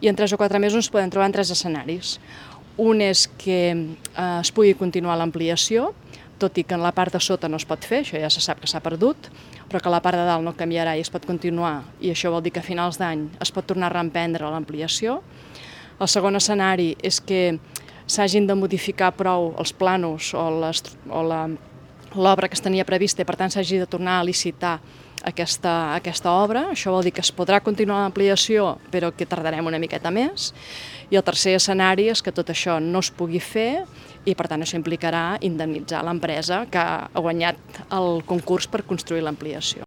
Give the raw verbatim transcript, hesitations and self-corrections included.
I en tres o quatre mesos ens podem trobar en tres escenaris. Un és que eh, es pugui continuar l'ampliació, tot i que en la part de sota no es pot fer, això ja se sap que s'ha perdut, però que la part de dalt no canviarà i es pot continuar, i això vol dir que a finals d'any es pot tornar a reemprendre l'ampliació. El segon escenari és que s'hagin de modificar prou els planos o l'obra que es tenia prevista i per tant s'hagi de tornar a licitar aquesta, aquesta obra. Això vol dir que es podrà continuar l'ampliació però que tardarem una miqueta més. I el tercer escenari és que tot això no es pugui fer i per tant això implicarà indemnitzar l'empresa que ha guanyat el concurs per construir l'ampliació.